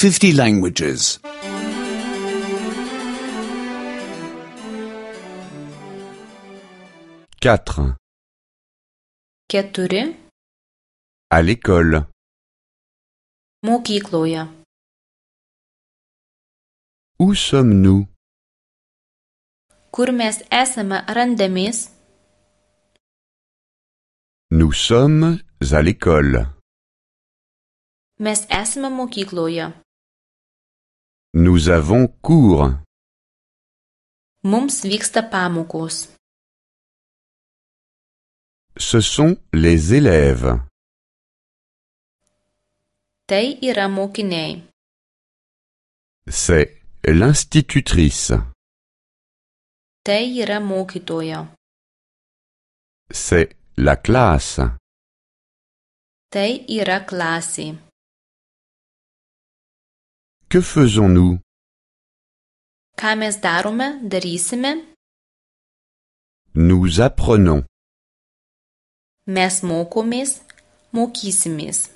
50 languages. 4. 4. À l'école. Mokykloje. Où sommes-nous? Kur mes esame randamės? Nous sommes à l'école. Mes esame mokykloje. Nous avons cours. Mums vyksta pamokos. Ce sont les élèves. Tai yra mokiniai. C'est l'institutrice. Tai yra mokytoja. C'est la classe. Tai yra klasė. Que faisons-nous? Ką mes darysime? Nous apprenons. Mes mokomės, mokysimės.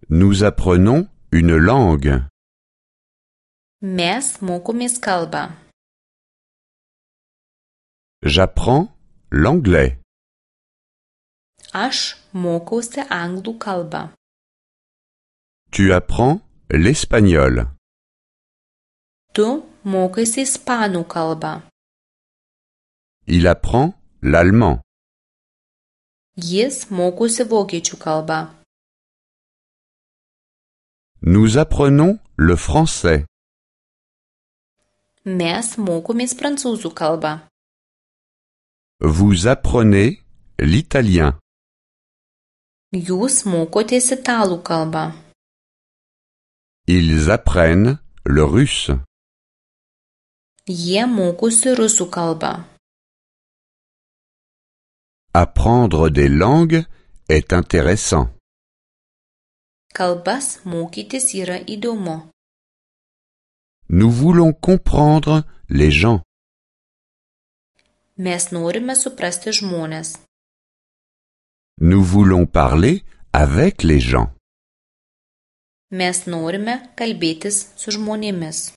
Nous apprenons une langue. Mes mokomės kalbą. J'apprends l'anglais. Aš mokausi anglų kalbą. Tu apprends l'espagnol. Tu mokaisi ispanų kalbą. Il apprend l'allemand. Jis mokosi vokiečių kalbą. Nous apprenons le français. Mes mokomės prancūzų kalbą. Vous apprenez l'italien. Jūs mokotės italų kalbą. Ils apprennent le russe. Jie mokosi rusų kalbą. Apprendre des langues est intéressant. Kalbas mokytis yra įdomu. Nous voulons comprendre les gens. Mes norime suprasti žmones. Nous voulons parler avec les gens. Mes norime kalbėtis su žmonėmis.